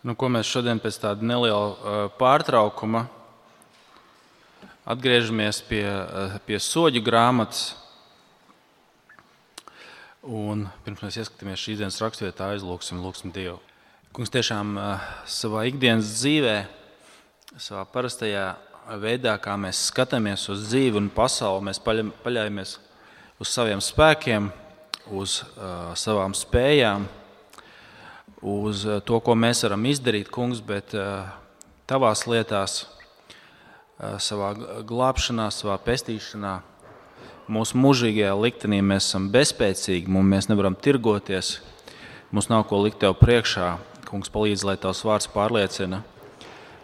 Ko mēs šodien pēc tāda neliela pārtraukuma atgriežamies pie soļu grāmatas. Un pirms mēs ieskatāmies šīs dienas raksturvietā, lūgsim Dievu. Kungs, tiešām savā ikdienas dzīvē, savā parastajā veidā, kā mēs skatāmies uz dzīvi un pasauli, mēs paļaujamies uz saviem spēkiem, uz savām spējām, uz to, ko mēs varam izdarīt, Kungs, bet tavās lietās, savā glābšanā, savā pestīšanā, mūsu mūžīgajā liktenī mēs esam bezspēcīgi, mēs nevaram tirgoties, mums nav ko likt tev priekšā. Kungs, palīdz, lai tavs vārds pārliecina,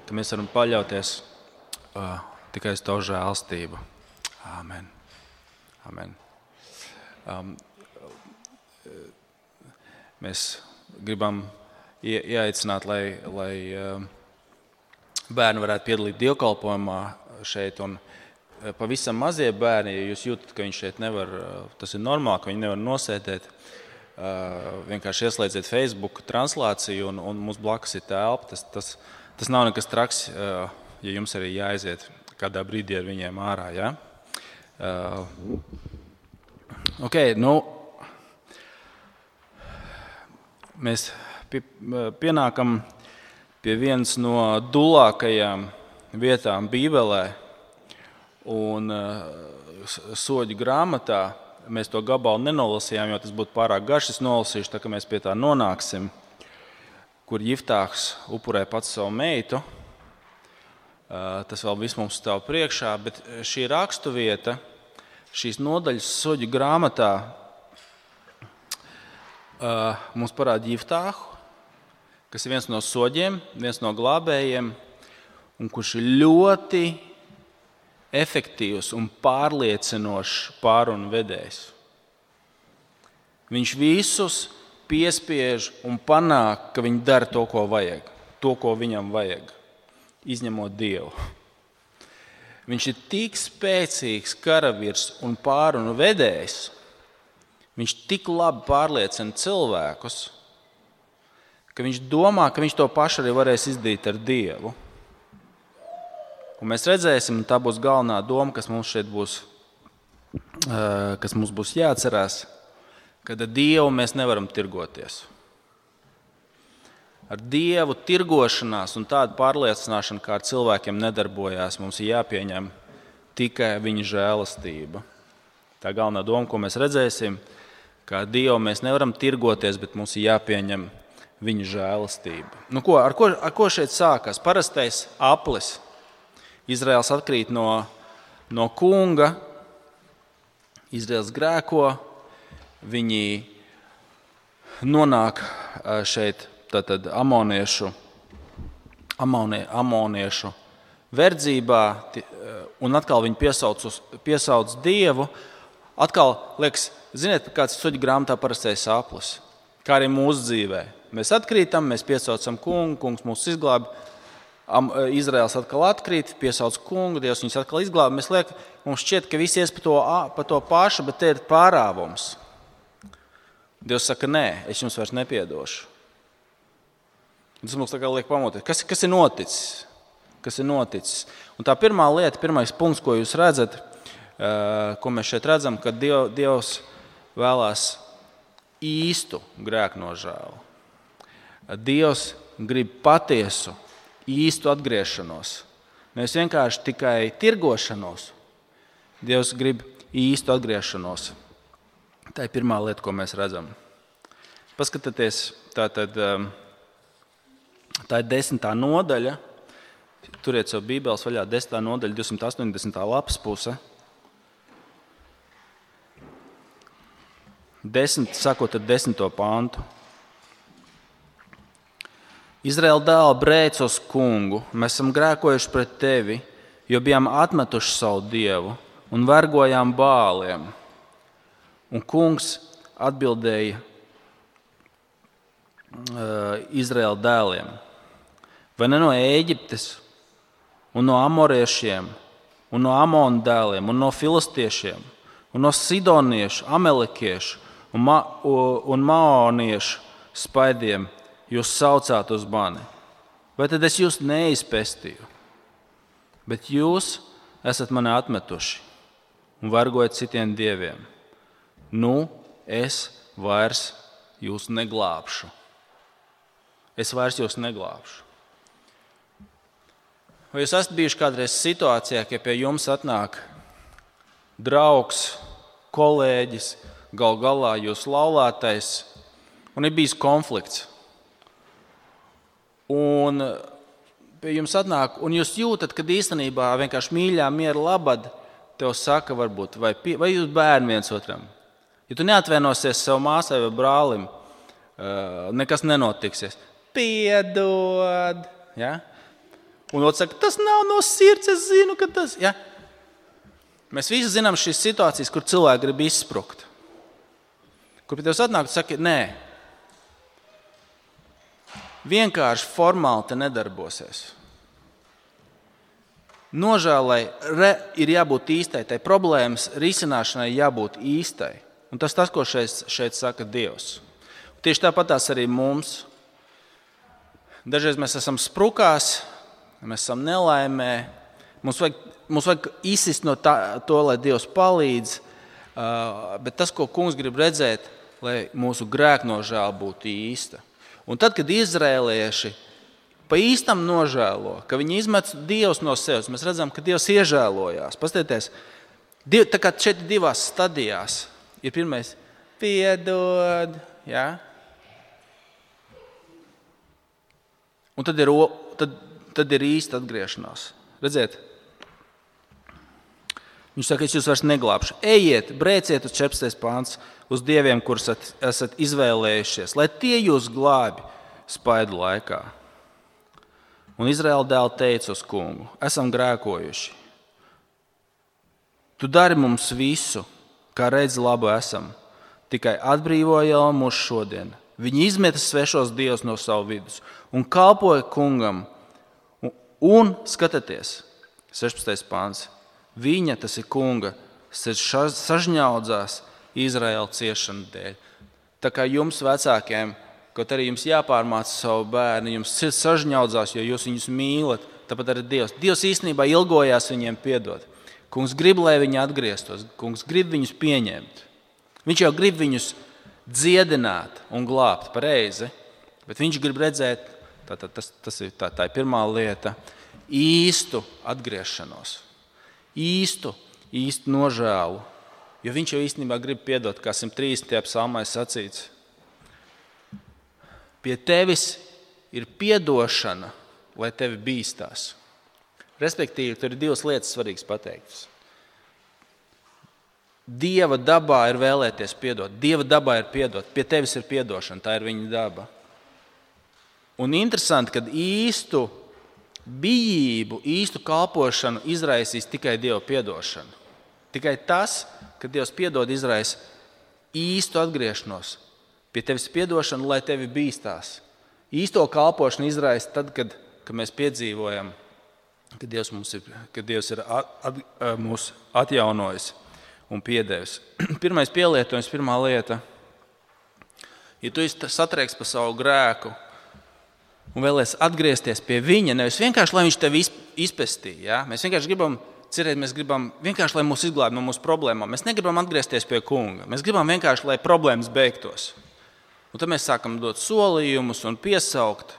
ka mēs varam paļauties tikai uz tavu žēlstību. Āmen. Amen. Mēs gribam ieaicināt, lai bērni varētu piedalīt dievkalpojumā šeit. Un pavisam mazie bērni, ja jūs jūtat, ka viņi šeit nevar, tas ir normāli, ka viņi nevar nosēdēt, vienkārši ieslēdziet Facebook translāciju un mums blakus ir telpa. Tas nav nekas traks, ja jums arī jāaiziet kādā brīdī ar viņiem ārā. Ja? Mēs pienākam pie vienas no dulākajām vietām Bībelē un soļu grāmatā. Mēs to gabalu nenolasījām, jo tas būtu pārāk garš. Es nolasīšu, tā kā mēs pie tā nonāksim, kur Jiftāhs upurē pats savu meitu. Tas vēl viss mums stāv priekšā, bet šī raksturvieta, šīs nodaļas soļu grāmatā mums parāda Jiftāhu, kas ir viens no soļiem, viens no glābējiem, un kurš ir ļoti efektīvs un pārliecinošs pārunu vedējs. Viņš visus piespiež un panāk, ka viņi dara to, ko vajag, to, ko viņam vajag, izņemot Dievu. Viņš ir tik spēcīgs karavīrs un pārunu vedējs, viņš tik labi pārliecina cilvēkus, ka viņš domā, ka viņš to pašu arī varēs izdarīt ar Dievu. Un mēs redzēsim, un tā būs galvenā doma, kas mums šeit būs, kas mums būs jāatcerās, ka ar Dievu mēs nevaram tirgoties. Ar Dievu tirgošanās un tādu pārliecināšanu, kā ar cilvēkiem nedarbojās, mums ir jāpieņem tikai viņa žēlastība. Tā galvenā doma, ko mēs redzēsim, ka ar Dievu mēs nevaram tirgoties, bet mums ir jāpieņem viņa žēlastība. Ar ko šeit sākās? Parastais aplis. Izraels atkrīt no kunga, Izraels grēko, viņi nonāk šeit tātad amoniešu verdzībā, un atkal viņi piesauc Dievu. Atkal, liekas, ziniet, kāds soļu grāmatā parastais aplis, kā arī mūsu dzīvē. Mēs atkrītam, mēs piesaucam kungu, kungs mūs izglābi. Izraels atkal atkrīt, piesauc kungu, Dievs viņus atkal izglāba. Mums šķiet, ka visi ies pa to pašu, bet te ir pārāvums. Dievs saka, nē, es jums vairs nepiedošu. Tas mums tā kā liek pamoties. Kas ir noticis? Kas ir noticis? Un tā pirmā lieta, pirmais punkts, ko jūs redzat, ko mēs šeit redzam, ka Dievs vēlās īstu grēknožēlu. Dievs grib patiesu, īstu atgriešanos. Nevis vienkārši tikai tirgošanos. Dievs grib īstu atgriešanos. Tā ir pirmā lieta, ko mēs redzam. Paskatieties, tā ir 10. nodaļa. Turiet savu Bībeles vaļā, 10. nodaļa, 280. lapas puse. 10. pantu. Izraēla dēli brēc uz kungu, mēs esam grēkojuši pret tevi, jo bijām atmetuši savu Dievu un vergojām bāliem. Un kungs atbildēja Izraēla dēliem: vai ne no Ēģiptes un no amoriešiem un no Amonu dēliem un no filistiešiem un no sidoniešu, amelekiešu un maoniešu spaidiem jūs saucāt uz mani. Vai tad es jūs neizpestīju, bet jūs esat mani atmetuši un vergojat citiem dieviem? Nu, es vairs jūs neglābšu. Es vairs jūs neglābšu. Vai jūs esat bijuši kādreiz situācijā, ka pie jums atnāk draugs, kolēģis, gal galā jūs laulātais, un ir bijis konflikts? Un pie jums atnāk, un jūs jūtat, ka īstenībā vienkārši mīļā miera labad tev saka varbūt, vai jūs bērni viens otram. Ja tu neatvainosies savu māsai vai brālim, nekas nenotiksies. Piedod. Ja? Un otrs saka, tas nav no sirds, es zinu, ka tas... Ja? Mēs visi zinām šīs situācijas, kur cilvēki grib izsprukt. Kur pie tevis atnāk, tu saki, nē. Vienkārši formāli te nedarbosies. Nožēlai ir jābūt īstai, tai problēmas risināšanai jābūt īstai. Un tas, ko šeit saka Dievs. Tieši tāpat tās arī mums. Dažreiz mēs esam sprukās, mēs esam nelaimē. Mums vajag izsist no to, lai Dievs palīdz. Bet tas, ko Kungs grib redzēt, lai mūsu grēknožēla būtu īsta. Un tad, kad izrēlieši pa īstam nožēlo, ka viņi izmet Dievs no sevis, mēs redzam, ka Dievs iežēlojās. Pastieties, tā kā šeit divās stadijās ir pirmais piedod, ja? Un tad ir īsta atgriešanās. Redziet? Viņš saka, es jūs vairs neglābšu. Ejiet, brēciet uz 14. pāns, uz dieviem, kurus esat izvēlējušies, lai tie jūs glābi spaidu laikā. Un Izraēla dēli teica uz kungu, esam grēkojuši. Tu dari mums visu, kā redzi labu esam, tikai atbrīvo jau mūs šodien. Viņi izmeta svešos dievus no savu vidus un kalpoja kungam. Un skatieties, 16. pāns. Viņa, tas ir kunga, sažņaudzās Izraēla ciešanu dēļ. Tā kā jums vecākiem, kaut arī jums jāpārmāca savu bērnu, jums sirds sažņaudzās, jo jūs viņus mīlat, tāpat arī Dievs. Dievs īstenībā ilgojās viņiem piedot. Kungs grib, lai viņi atgrieztos, kungs grib viņus pieņemt. Viņš jau grib viņus dziedināt un glābt pareizi, bet viņš grib redzēt, tā ir pirmā lieta, īstu atgriešanos. Īstu nožēlu, jo viņš jau īstenībā grib piedot, kā 130. psalmā sacīts. Pie tevis ir piedošana, lai tevi bīstās. Respektīvi, tur ir divas lietas svarīgas pateiktas. Dieva dabā ir vēlēties piedot. Dieva dabā ir piedot. Pie tevis ir piedošana, tā ir viņa daba. Un interesanti, kad īstu bijību, īstu kalpošanu izraisīs tikai Dieva piedošana. Tikai tas, ka Dievs piedod, izraisa īstu atgriešanos. Pie tevis piedošana, lai tevi bīstās. Īsto kalpošanu izraisa tad, kad mēs piedzīvojam, ka Dievs ir mūs atjaunojis un piedevis. Pirmais pielietojums, pirmā lieta. Ja tu satrieks par savu grēku, un vēlies atgriezties pie viņa, nevis vienkārši, lai viņš tevi izpestīja. Ja? Mēs vienkārši gribam cerēt, mēs gribam vienkārši, lai mūs izglābj no mūsu problēmām. Mēs negribam atgriezties pie kunga. Mēs gribam vienkārši, lai problēmas beigtos. Un tad mēs sākam dot solījumus un piesaukt.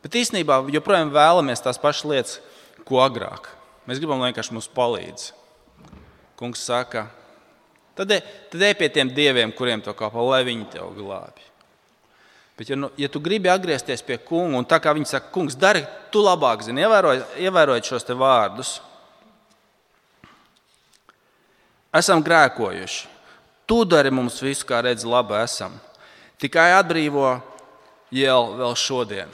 Bet īstenībā joprojām vēlamies tās pašas lietas, ko agrāk. Mēs gribam, lai vienkārši mums palīdz. Kungs saka, tad ej pie tiem dieviem, kuriem to kalpo, lai viņi tev glābj. Bet, ja tu gribi atgriezties pie kunga, un tā kā viņi saka, kungs, dari, tu labāk zini, ievērojot šos te vārdus. Esam grēkojuši. Tu dari mums visu, kā redzi, labi esam. Tikai atbrīvo vēl šodien.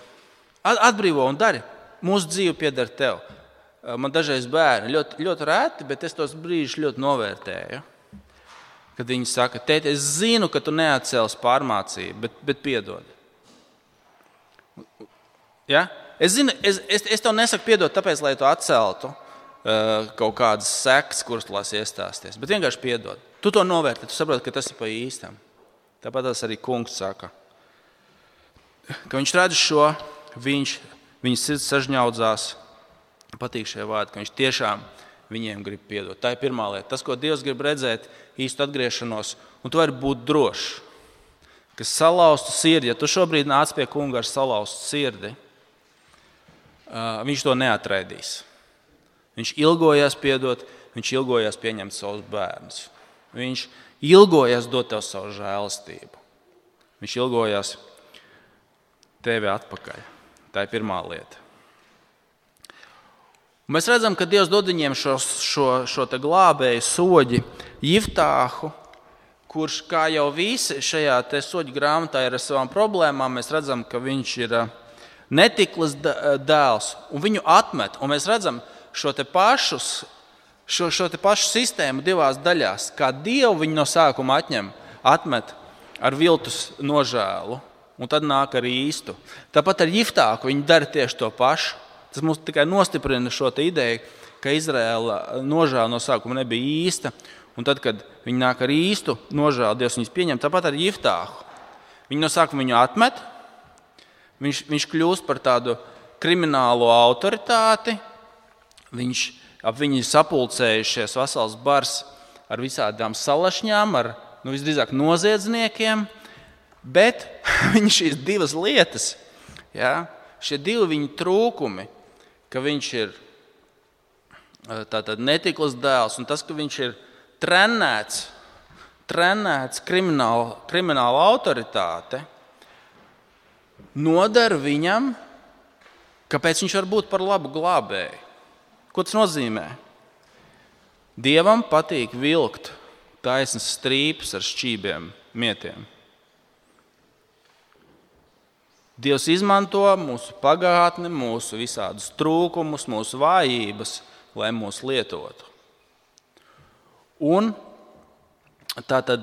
Atbrīvo un dari. Mūsu dzīve pieder tev. Man dažreiz bērni ļoti reti, bet es tos brīžus ļoti novērtēju. Kad viņi saka, tēti, es zinu, ka tu neatcēlis pārmācību, bet piedod. Ja? Es tev nesaku piedot, tāpēc, lai tu atceltu kaut kādas sekas, kuras tu lasi iestāsties. Bet vienkārši piedod. Tu to novērtē, tu saproti, ka tas ir pa īstam. Tāpat tas arī kungs saka. Ka viņš redz šo, viņš viņa sirds sažņaudzās. Patīk šie vārdi, ka viņš tiešām viņiem grib piedot. Tā ir pirmā lieta. Tas, ko Dievs grib redzēt, īstu atgriešanos, un tu vari būt drošs, ka salauztu sirdi, ja tu šobrīd nāc pie kunga ar salauztu sirdi, viņš to neatraidīs. Viņš ilgojās piedot, viņš ilgojās pieņemt savus bērnus. Viņš ilgojās dot tev savu žēlastību. Viņš ilgojās tevi atpakaļ. Tā ir pirmā lieta. Mēs redzam, ka Dievs dod viņiem šo te glābēju soģi Jiftāhu, kurš, kā jau visi šajā te soģu grāmatā ir ar savām problēmām, mēs redzam, ka viņš ir netiklas dēls, un viņu atmet. Un mēs redzam šo te pašu sistēmu divās daļās, kā Dievu viņu no sākuma atmet ar viltus nožēlu, un tad nāk ar īstu. Tāpat ar Jiftāhu viņi dara tieši to pašu. Tas mums tikai nostiprina šo te ideju, ka Izraēla nožēla no sākuma nebija īsta, un tad, kad viņi nāk ar īstu nožēlu, Dievs viņus pieņem. Tāpat ar Jiftāhu. Viņi no sākuma viņu atmet, viņš kļūst par tādu kriminālo autoritāti, ap viņu sapulcējušies vesels bars ar visādām salašņām, ar visdrīzāk noziedzniekiem, bet viņi šīs divas lietas, šie divi viņa trūkumi, ka viņš ir tātad netiklas dēls un tas, ka viņš ir trenēts krimināla autoritāte, nodara viņam, kāpēc viņš var būt par labu glābēju. Ko tas nozīmē? Dievam patīk vilkt taisnas strīpes ar šķībiem mietiem. Dievs izmanto mūsu pagātni, mūsu visādus trūkumus, mūsu vājības, lai mūs lietotu. Un tātad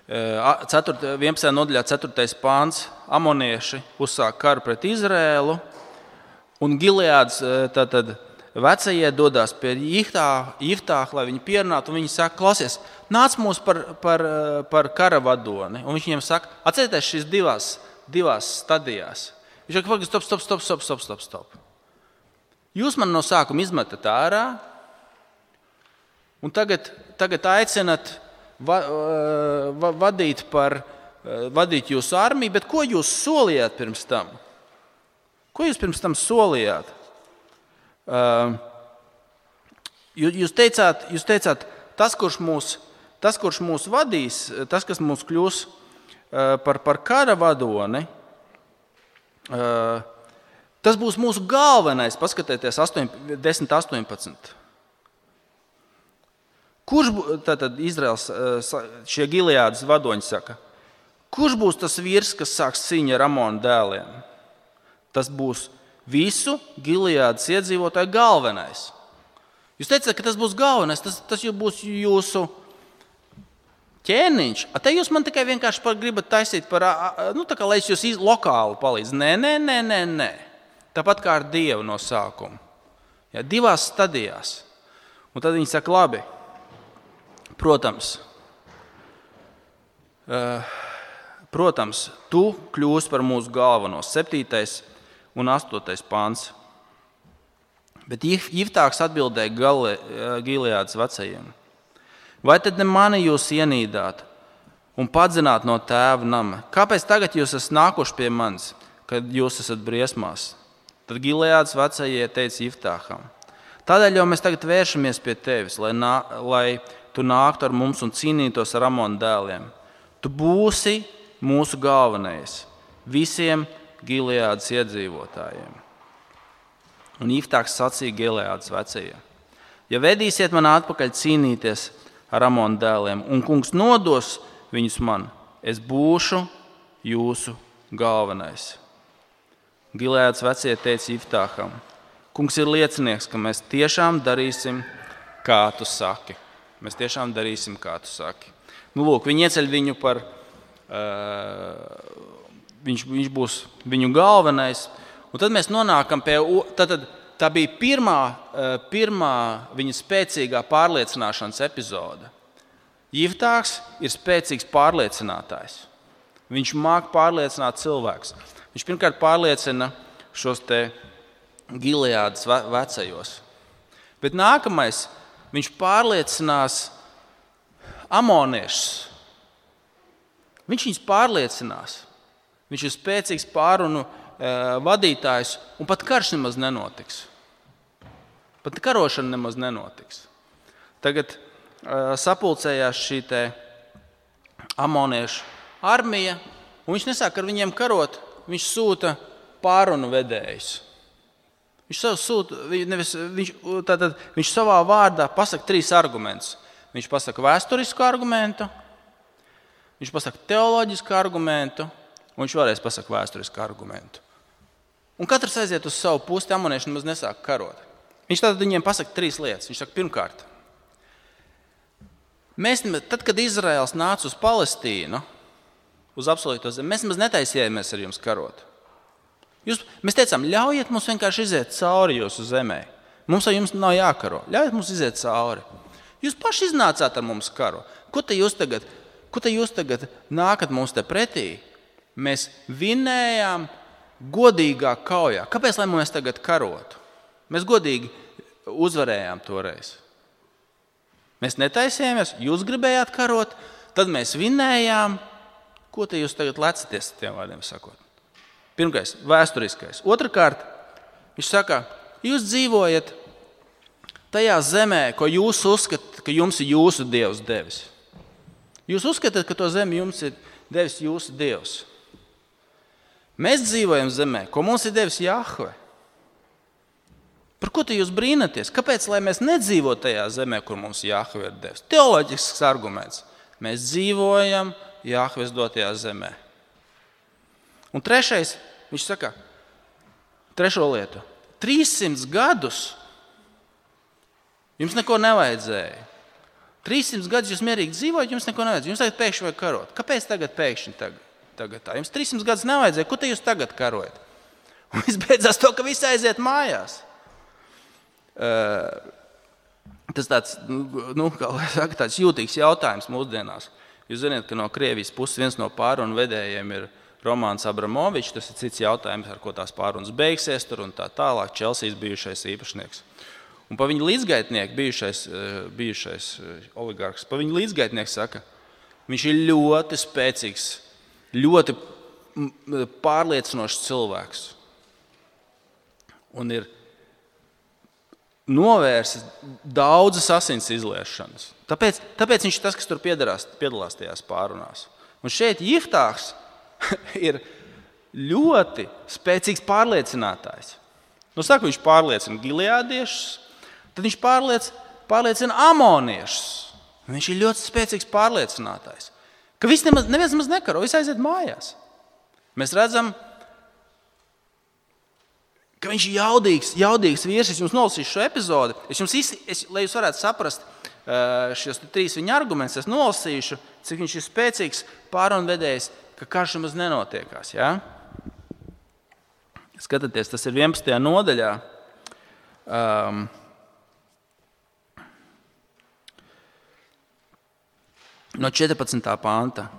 11. nodaļā 4. pāns amonieši uzsāk karu pret Izrēlu, un Gileāds vecie dodās pie Jiftāha, lai viņi pierunātu, un viņi saka, klausies, nāc mūs par kara vadoni. Un viņš viņiem saka, atcerieties šīs divās stadijās. Viņš saka, stop. Jūs man no sākuma izmetat ārā, un tagad aicinat vadīt jūsu armiju, bet ko jūs solījāt pirms tam? Ko jūs pirms tam solījāt? Jūs teicāt, tas, kurš mūs vadīs, tas, kas mūs kļūs par kara vadoni, tas būs mūsu galvenais. Paskatieties 10.18. Kurš tātad Izraels, šie Gileādas vadoņi saka, kurš būs tas vīrs, kas sāks cīņu ar Amonu dēliem? Tas būs visu Gileādas iedzīvotāju galvenais. Jūs teicat, ka tas būs galvenais, tas būs jūsu ķēniņš. Te jūs man tikai vienkārši gribat taisīt tā kā lai es jūs lokāli palīdzu. Nē. Tāpat kā ar Dievu no sākuma. Divās stadijās. Un tad viņi saka, labi, protams, tu kļūsi par mūsu galveno. 7. un 8. pāns. Bet Jiftāhs atbildēja Gileādas vecajiem. Vai tad ne mani jūs ienīdāt un padzināt no tēva nama? Kāpēc tagad jūs esat nākuši pie manis, kad jūs esat briesmās? Tad Gileādas vecajie teica Jiftāham. Tādēļ jau mēs tagad vēršamies pie tevis, lai tu nāktu ar mums un cīnītos ar Amonu dēliem. Tu būsi mūsu galvenais visiem Gileādas iedzīvotājiem. Un Jiftāhs sacīja Gileādas vecajiem. Ja vedīsiet man atpakaļ cīnīties ar Amonu dēliem, un kungs nodos viņus man, es būšu jūsu galvenais. Gileādas vecie teica Jiftāham, kungs ir liecinieks, ka mēs tiešām darīsim, kā tu saki. Mēs tiešām darīsim, kā tu saki. Lūk, viņi ieceļ viņu par... Viņš būs viņu galvenais. Un tad mēs nonākam pie... Tā bija pirmā viņa spēcīgā pārliecināšanas epizode. Jiftāhs ir spēcīgs pārliecinātājs. Viņš māk pārliecināt cilvēkus. Viņš pirmkārt pārliecina šos te Gileādas vecajos. Bet nākamais, viņš pārliecinās amoniešus. Viņš viņus pārliecinās. Viņš ir spēcīgs pārunu vadītājs, un pat karš nemaz nenotiks. Pat karošana nemaz nenotiks. Tagad sapulcējās šī te amoniešu armija, un viņš nesāk ar viņiem karot, viņš sūta pārunu vedējus. Viņš savā vārdā pasaka 3 argumentus. Viņš pasaka vēsturisku argumentu, viņš pasaka teoloģisku argumentu, un viņš vēlreiz pasaka vēsturisku argumentu. Un katrs aiziet uz savu pusi, amonieši nemaz nesāk karot. Viņš tātad viņiem pasaka 3 lietas. Viņš saka, pirmkārt, tad, kad Izraels nāca uz Palestīnu, uz apsolīto zemi, mēs nemaz netaisījāmies ar jums karot. Mēs teicām, ļaujiet mums vienkārši iziet cauri jūsu zemē. Mums ar jums nav jākaro. Ļaujiet mums iziet cauri. Jūs paši iznācāt ar mums karu. Ko te jūs tagad nākat mums te pretī? Mēs vinējām godīgā kaujā. Kāpēc, lai mēs tagad karotu? Mēs godīgi uzvarējām toreiz. Mēs netaisījāmies, jūs gribējāt karot, tad mēs vinējām. Ko te jūs tagad lecaties, tiem vārdiem sakot? Pirmais, vēsturiskais. Otrakārt, viņš saka, jūs dzīvojat tajā zemē, ko jūs uzskatāt, ka jums ir jūsu Dievs devis. Jūs uzskatāt, ka to zemi jums ir devis jūsu Dievs. Mēs dzīvojam zemē, ko mums ir devis Jahve. Par ko te jūs brīnaties? Kāpēc, lai mēs nedzīvotu tajā zemē, kur mums Jahve ir devis? Teoloģisks arguments. Mēs dzīvojam Jahves dotajā zemē. Un trešais, viņš saka, trešo lietu. 300 gadus jums neko nevajadzēja. 300 gadus jūs mierīgi dzīvojat, jums neko nevajadzēja. Jums tagad pēkšņi vajag karot. Kāpēc tagad pēkšņi tagad tā? Jums 300 gadus nevajadzēja. Ko te jūs tagad karojat? Un viss beidzās to, ka visi aiziet mājās. Tas tāds jūtīgs jautājums mūsdienās. Jūs zināt, ka no Krievijas puses viens no pārunu vedējiem ir Romāns Abramovičs. Tas ir cits jautājums, ar ko tās pārunas beigsies tur un tā tālāk. Čelsijas bijušais īpašnieks. Un pa viņa līdzgaitnieku, bijušais oligarks, pa viņa līdzgaitnieku saka, viņš ir ļoti spēcīgs, ļoti pārliecinošs cilvēks. Un ir novērsis daudzas asins izliešanas. Tāpēc viņš ir tas, kas tur piedalās tajās pārunās. Un šeit Jiftāhs ir ļoti spēcīgs pārliecinātājs. Saka, viņš pārliecina Gileādiešus, tad viņš pārliecina amoniešus. Viņš ir ļoti spēcīgs pārliecinātājs. Ka neviens nemaz nekaro, visi aiziet mājās. Mēs redzam, ka viņš ir jaudīgs vīrs. Es jums nolasīšu šo epizodi. Lai jūs varētu saprast šos 3 viņa argumentus, es nolasīšu, cik viņš ir spēcīgs pārunvedējs, ka karš nemaz nenotiekās. Ja? Skatieties, tas ir 11. nodaļā. No 14. panta.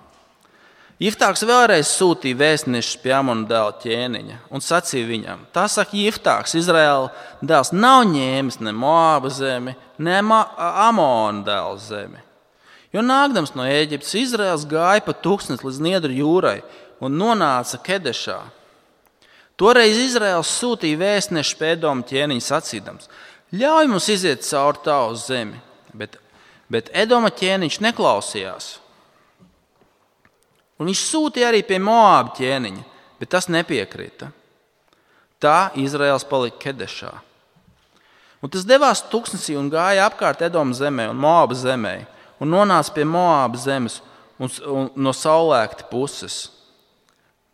Jiftāhs vēlreiz sūtīja vēstnešus pie Amona dēla ķēniņa un sacīja viņam: tā saka Jiftāhs, Izraēla dēls nav ņēmis ne Moāba zemi, ne Amona dēla zemi. Jo nākdams no Ēģiptes, Izraēls gāja pa tūkstnesi līdz Niedru jūrai un nonāca Kedešā. Toreiz Izraēls sūtīja vēstnešus pie Edoma ķēniņa sacīdams: ļauj mums iziet cauri tavu zemi, bet Edoma ķēniņš neklausījās. Un viņš sūtīja arī pie Moāba ķēniņa, bet tas nepiekrita. Tā Izraēls palika Kedešā. Un tas devās tūkstnesī un gāja apkārt Edoma zemē un Moāba zemē un nonāca pie Moāba zemes un no saulēkta puses.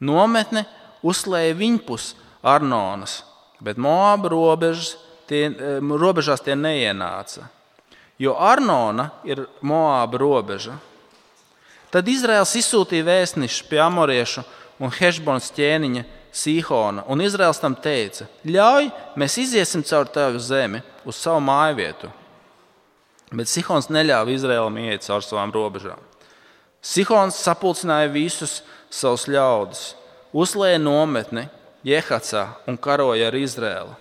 Nometne uzslēja viņpus Arnonas, bet Moāba robežās tie neienāca, jo Arnona ir Moāba robeža. Tad Izraēls izsūtīja vēstnešus pie amoriešu un Hešbonas ķēniņa Sīhona, un Izraēls tam teica: ļauj, mēs iziesim caur tavu zemi uz savu mājvietu. Bet Sihons neļāva Izraēlam iet caur savām robežām. Sihons sapulcināja visus savus ļaudis, uzlēja nometni Jehacā un karoja ar Izraēlu.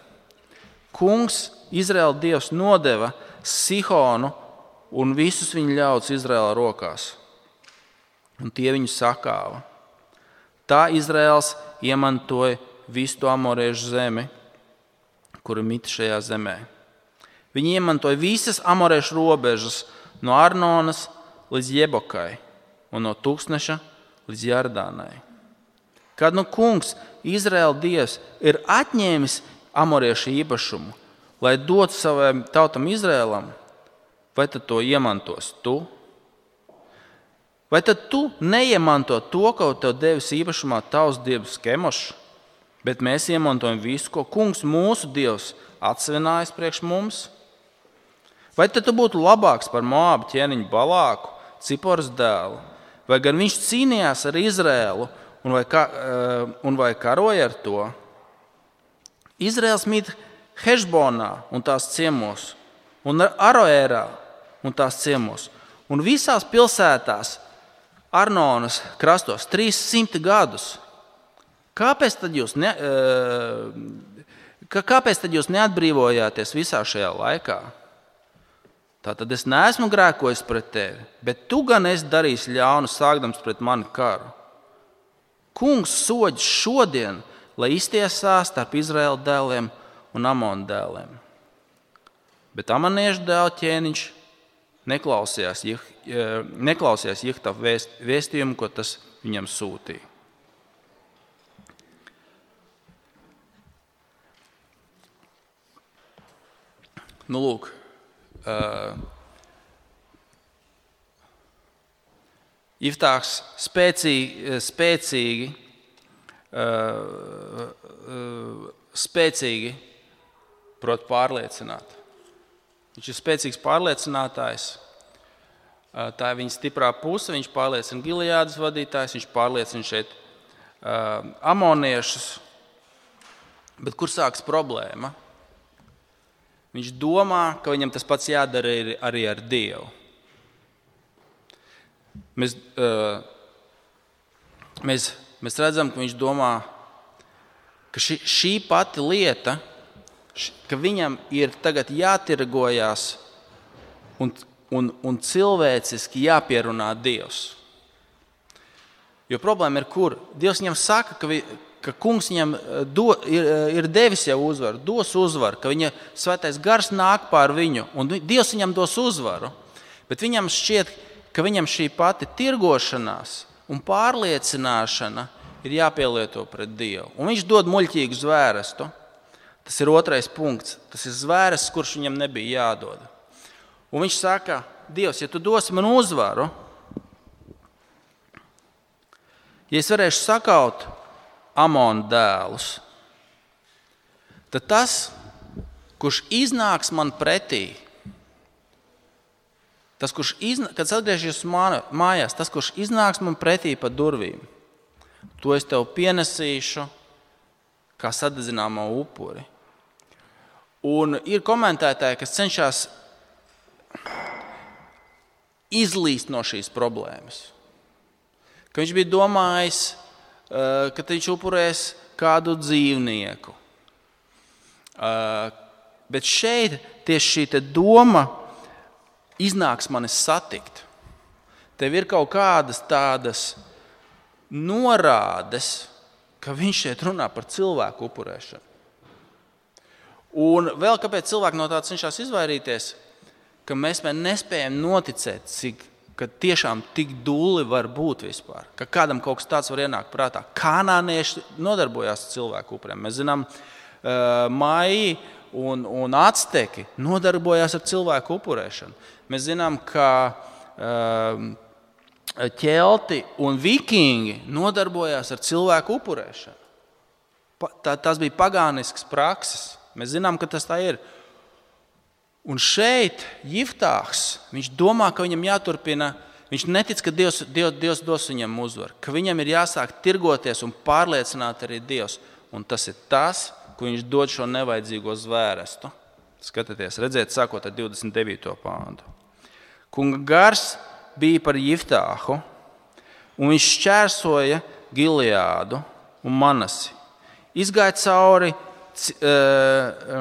Kungs, Izraēla Dievs, nodeva Sihonu un visus viņa ļaudis Izraēla rokās, un tie viņu sakāva. Tā Izraēls iemantoja visu to amoriešu zemi, kuri mita šajā zemē. Viņi iemantoja visas amoriešu robežas no Arnonas līdz Jebokai un no Tūkstneša līdz Jardānai. Kad Kungs, Izraēla Dievs, ir atņēmis amoriešu īpašumu, lai dotu savam tautam Izraēlam, vai tad to iemantos tu? Vai tad tu neiemanto to, ko tev devis īpašumā tavs dievs Kemošs, bet mēs iemantojam visu, ko Kungs mūsu Dievs atsevinājis priekš mums? Vai tad tu būtu labāks par Moābu ķēniņu Balāku, Ciporas dēlu, vai gan viņš cīnījās ar Izraēlu un vai karoja ar to? Izraēls mīt Hešbonā un tās ciemos, un Aroērā un tās ciemos, un visās pilsētās Arnonas krastos 300 gadus. Kāpēc tad jūs neatbrīvojāties visā šajā laikā? Tātad es neesmu grēkojis pret tevi, bet tu gan esi darījis ļaunu, sākdams pret mani karu. Kungs soģ šodien, lai iztiesā starp Izraēla dēliem un Amonu dēliem. Bet Amoniešu dēlu ķēniņš neklausījās Jehtafa vēstījumu, ko tas viņam sūtīja. Lūk, Jeftāhs spēcīgi prot pārliecināt. Viņš ir spēcīgs pārliecinātājs. Tā ir viņa stiprā puse. Viņš pārliecina Gileādas vadītājs, viņš pārliecina šeit amoniešus. Bet kur sākas problēma? Viņš domā, ka viņam tas pats jādara arī ar Dievu. Mēs redzam, ka viņš domā, ka šī pati lieta, ka viņam ir tagad jātirgojās un cilvēciski jāpierunā Dievs. Jo problēma ir kur? Dievs viņam saka, ka Kungs viņam ir devis jau uzvaru, dos uzvaru, ka viņa svētais gars nāk pār viņu, un Dievs viņam dos uzvaru. Bet viņam šķiet, ka viņam šī pati tirgošanās un pārliecināšana ir jāpielieto pret Dievu. Un viņš dod muļķīgu zvērestu. Tas ir otrais punkts. Tas ir zvērests, kurš viņam nebija jādod. Un viņš saka, Dievs, ja tu dosi man uzvaru, ja es varēšu sakaut Amonu dēlus, tad tas, kurš iznāks man pretī, kad es atgriežos mājās, tas, kurš iznāks man pretī pa durvīm, to es tev pienesīšu kā sadedzināmo upuri. Un ir komentētāji, kas cenšas izlīst no šīs problēmas. Ka viņš bija domājis, ka viņš upurēs kādu dzīvnieku. Bet šeit tieši šī doma iznāks manis satikt. Tev ir kaut kādas tādas norādes, ka viņš šeit runā par cilvēku upurēšanu. Un vēl kāpēc cilvēki no tā cenšas izvairīties, ka mēs nespējam noticēt, ka tiešām tik dulli var būt vispār, ka kādam kaut kas tāds var ienākt prātā. Kanānieši nodarbojās ar cilvēku upurēm. Mēs zinām, Maji un Acteki nodarbojās ar cilvēku upurēšanu. Mēs zinām, ka ķelti un vikingi nodarbojās ar cilvēku upurēšanu. Tas bija pagānisks prakses. Mēs zinām, ka tas tā ir. Un šeit Jeftāhs, viņš domā, ka viņam jāturpina, viņš netic, ka Dievs dos viņam uzvaru, ka viņam ir jāsāk tirgoties un pārliecināt arī Dievs. Un tas ir tas, ko viņš dod šo nevajadzīgo zvērestu. Skatieties, redziet, sākot ar 29. pāntu. Kunga gars bija par Jeftāhu, un viņš šķērsoja Gileādu un Manasi. Izgāja cauri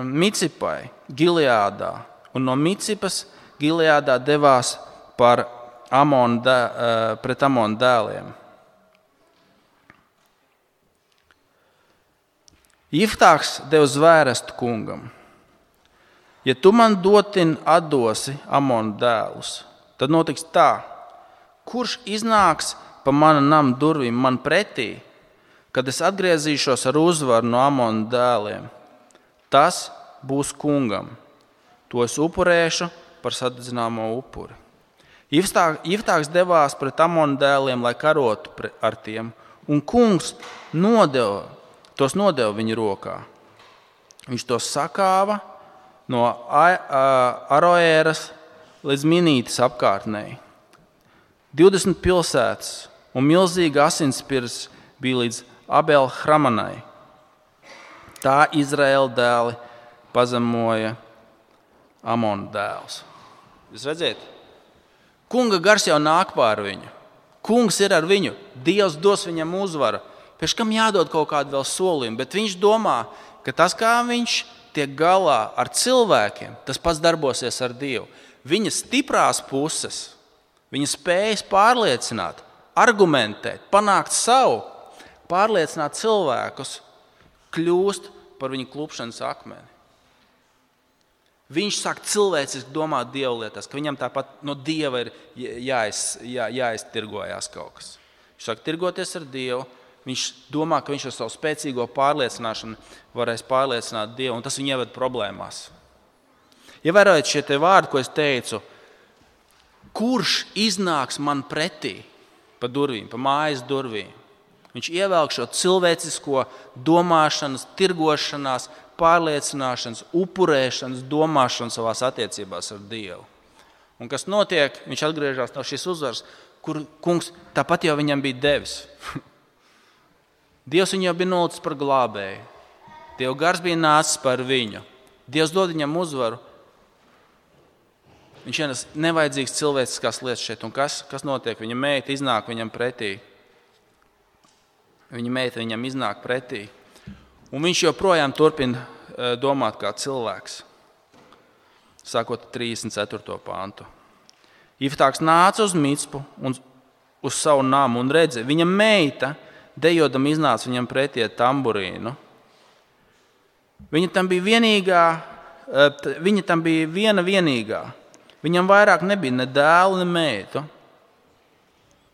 Micipai, Gileādā, un no Micipas Gileādā devās pret Amonu dēliem. Jiftāks deva zvērestu kungam: ja tu man dotin atdosi Amonu dēlus, tad notiks tā, kurš iznāks pa mana nama durvīm man pretī, kad es atgriezīšos ar uzvaru no Amonu dēliem, tas būs kungam. To es upurēšu par sadedzināmo upuri. Jiftāks devās pret Amonu dēliem, lai karotu ar tiem, un kungs tos nodeva viņa rokā. Viņš tos sakāva no Aroēras līdz Minītas apkārtnei. 20 pilsētas un milzīga asinspirs bija līdz Abel-Hramanai. Tā Izraēla dēli pazemoja Amonu dēlus. Jūs redzat? Kunga gars jau nāk pār viņu. Kungs ir ar viņu. Dievs dos viņam uzvaru. Pēc kam jādod kaut kādu vēl solījumu, bet viņš domā, ka tas, kā viņš tiek galā ar cilvēkiem, tas pats darbosies ar Dievu. Viņa stiprās puses, viņa spējas pārliecināt, argumentēt, panākt savu, pārliecināt cilvēkus, kļūst par viņu klupšanas akmeni. Viņš sāk cilvēciski domāt Dieva lietās, ka viņam tāpat no Dieva ir jāiztirgojās kaut kas. Viņš sāk tirgoties ar Dievu. Viņš domā, ka viņš ar savu spēcīgo pārliecināšanu varēs pārliecināt Dievu, un tas viņu ieved problēmās. Ievērojiet šie te vārdi, ko es teicu, kurš iznāks man pretī pa durvīm, pa mājas durvīm. Viņš ievelk šo cilvēcisko domāšanas, tirgošanās, pārliecināšanas, upurēšanas, domāšanas savās attiecībās ar Dievu. Un kas notiek, viņš atgriežas no šīs uzvaras, kur kungs tāpat jau viņam bija devis. Dievs viņu jau bija nolicis par glābēju. Dieva gars bija nācis par viņu. Dievs dod viņam uzvaru. Viņš ienes nevajadzīgas cilvēciskās lietas šeit. Un kas notiek? Viņa meita iznāk viņam pretī. Viņa meita viņam iznāk pretī. Un viņš joprojām turpina domāt kā cilvēks. Sākot 34. pāntu. Jiftāks nāca uz Micpu un uz savu namu un redzi, viņa meita dejodam iznāca viņam pretī ar tamburīnu. Viņa tam bija viena vienīgā. Viņam vairāk nebija ne dēlu, ne meitu.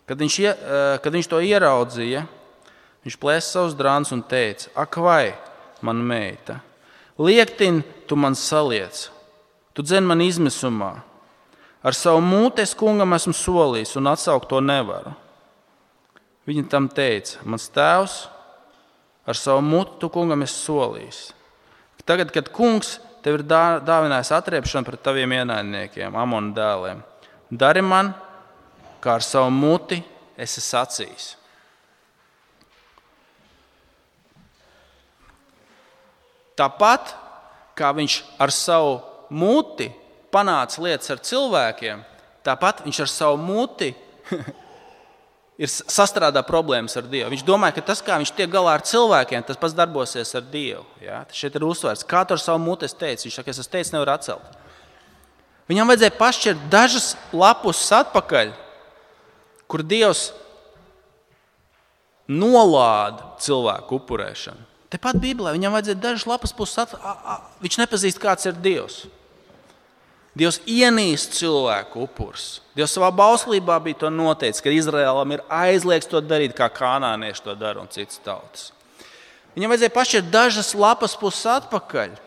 Kad viņš to ieraudzīja, viņš plēsa savus drānus un teica: ak vai, mana meita, liektin tu man saliec, tu dzen man izmisumā. Ar savu mūti es kungam esmu solījis un atsaukt to nevaru. Viņa tam teica: mans tēvs, ar savu mutu tu kungam esi solījis. Tagad, kad kungs tev ir dāvinājis atriepšanu pret taviem ienaidniekiem, Amonu dēliem, dari man, kā ar savu muti esi sacījis. Tāpat, kā viņš ar savu muti panāca lietas ar cilvēkiem, tāpat viņš ar savu muti ir sastrādā problēmas ar Dievu. Viņš domāja, ka tas, kā viņš tiek galā ar cilvēkiem, tas pats darbosies ar Dievu. Ja? Tas šeit ir uzsvērts. Kā tu ar savu muti teici? Viņš saka, es teicu, nevar atcelt. Viņam vajadzēja pašķirt dažas lapus atpakaļ, kur Dievs nolāda cilvēku upurēšanu. Tepat Bībelē viņam vajadzēja dažas lapas puses viņš nepazīst, kāds ir Dievs. Dievs ienīst cilvēku upurs. Dievs savā bauslībā bija to noteicis, ka Izraēlam ir aizliegts to darīt, kā kanānieši to dara un citas tautas. Viņam vajadzēja pašķirt dažas lapas puses atpakaļ.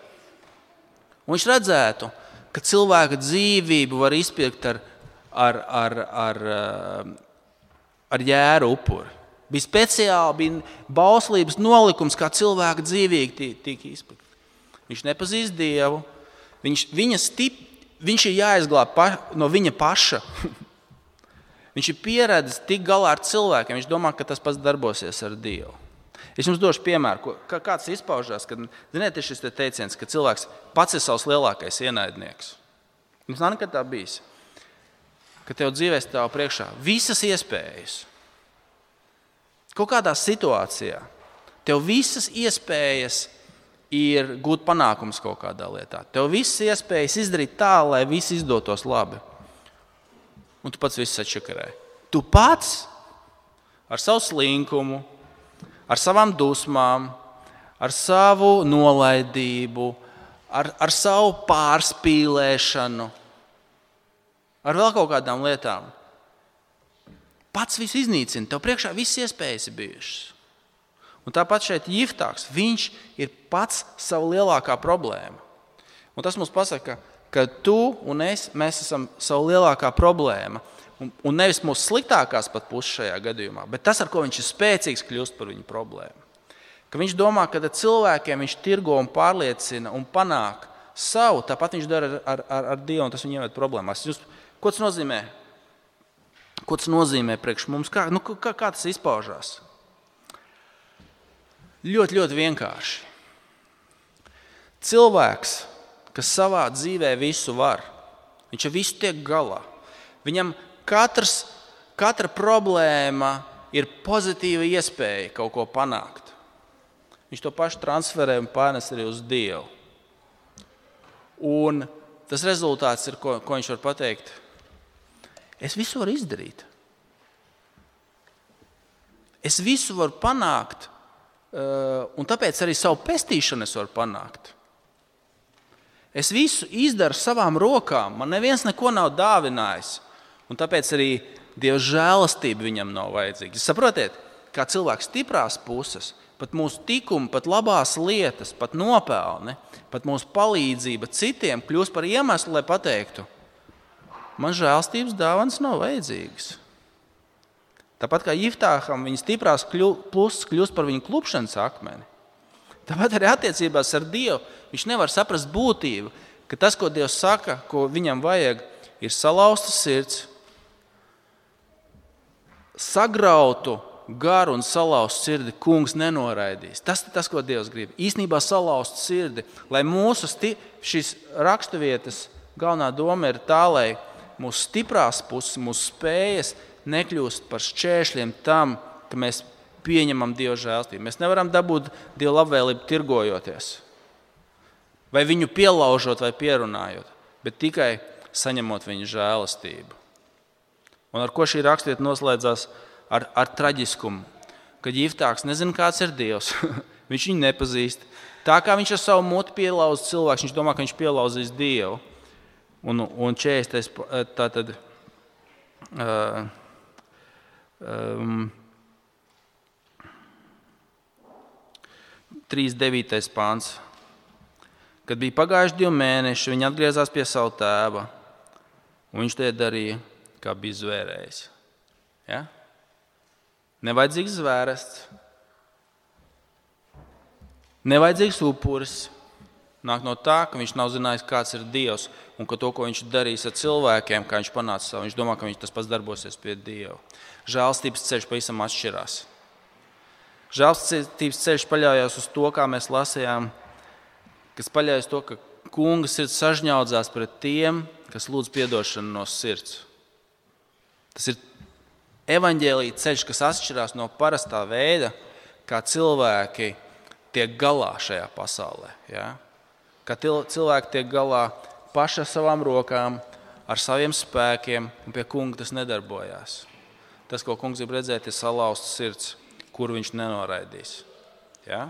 Un viņš redzētu, ka cilvēka dzīvību var izpirkt ar jēru upuri. Bija speciāli bauslības nolikums, kā cilvēka dzīvīgi tika izpirkt. Viņš nepazīst Dievu. Viņš ir jāizglāb no viņa paša. Viņš ir pieredzis tik galā ar cilvēkiem. Viņš domā, ka tas pats darbosies ar Dievu. Es jums došu piemēru, kāds izpaužās, kad, ziniet, ir šis teiciens, ka cilvēks pats ir savs lielākais ienaidnieks. Jums nav nekad tā bijis, ka tev dzīvē stāv priekšā visas iespējas. kaut kādā situācijā tev visas iespējas ir gūt panākumus kaut kādā lietā. Tev visas iespējas izdarīt tā, lai viss izdotos labi. Un tu pats viss atšakarē. Tu pats ar savu slinkumu, ar savām dusmām, ar savu nolaidību, ar savu pārspīlēšanu, ar vēl kaut kādām lietām. Pats visu iznīcina, tev priekšā visas iespējas ir bijušas. Un tāpat šeit Jiftāks, viņš ir pats savu lielākā problēma. Un tas mums pasaka, ka tu un es, mēs esam savu lielākā problēma. Un nevis mūsu sliktākās pat puses šajā gadījumā, bet tas, ar ko viņš ir spēcīgs, kļūst par viņu problēmu. Ka viņš domā, ka ar cilvēkiem viņš tirgo un pārliecina un panāk savu, tāpat viņš dara ar Dievu, un tas viņu ieved problēmās. Ko tas nozīmē? Ko tas nozīmē priekš mums? Kā tas izpaužās? Ļoti, ļoti vienkārši. Cilvēks, kas savā dzīvē visu var, viņš ar visu tiek galā. Viņam katra problēma ir pozitīva iespēja kaut ko panākt. Viņš to pašu transferē un pārnes arī uz Dievu. Un tas rezultāts ir, ko viņš var pateikt. Es visu varu izdarīt. Es visu varu panākt, un tāpēc arī savu pestīšanu es varu panākt. Es visu izdaru savām rokām, man neviens neko nav dāvinājis, un tāpēc arī Dieva žēlastība viņam nav vajadzīga. Jūs saprotiet, kā cilvēks stiprās puses, pat mūsu tikumi, pat labās lietas, pat nopelni, pat mūsu palīdzība citiem kļūst par iemeslu, lai pateiktu, man žēlstības dāvanas nav vajadzīgas. Tāpat kā Jiftāham viņa stiprās puses kļūst par viņu klupšanas akmeni. Tāpat arī attiecībās ar Dievu viņš nevar saprast būtību, ka tas, ko Dievs saka, ko viņam vajag, ir salauzta sirds, sagrautu garu un salauztu sirdi kungs nenoraidīs. Tas ir tas, ko Dievs grib. Īsnībā salauztu sirdi, lai mūsu šīs raksturvietas galvenā doma ir tā, lai mūsu stiprās puses, mūsu spējas nekļūst par šķēršļiem tam, ka mēs pieņemam Dieva žēlstību. Mēs nevaram dabūt Dieva labvēlību tirgojoties, vai viņu pielaužot vai pierunājot, bet tikai saņemot viņa žēlastību. Un ar ko šī rakstvieta noslēdzās? Ar traģiskumu, kad Jiftāks nezina, kāds ir Dievs. Viņš viņu nepazīst. Tā kā viņš ar savu muti pielauza cilvēku, viņš domā, ka viņš pielauzīs Dievu. Un 40. Tātad 3.9. pāns. Kad bija pagājuši 2 mēneši, viņi atgriezās pie savu tēva, un viņš to darīja, kā bija zvērējis. Ja? Nevajadzīgs zvērests, nevajadzīgs upuris. Nāk no tā, ka viņš nav zinājis, kāds ir Dievs, un ka to, ko viņš darīs ar cilvēkiem, kā viņš panāca savu, viņš domā, ka viņš tas pats darbosies pie Dieva. Žēlstības ceļš pavisam atšķirās. Žēlstības ceļš paļaujas uz to, kā mēs lasījām, kas paļaujas to, ka kunga sirds sažņaudzās pret tiem, kas lūdz piedošanu no sirds. Tas ir evaņģēlija ceļš, kas atšķirās no parastā veida, kā cilvēki tiek galā šajā pasaulē. Ja? Kā cilvēki tiek galā paši ar savām rokām, ar saviem spēkiem, un pie kunga tas nedarbojās. Tas, ko kungs grib redzēt, ir salauzts sirds, kuru viņš nenoraidīs. Ja?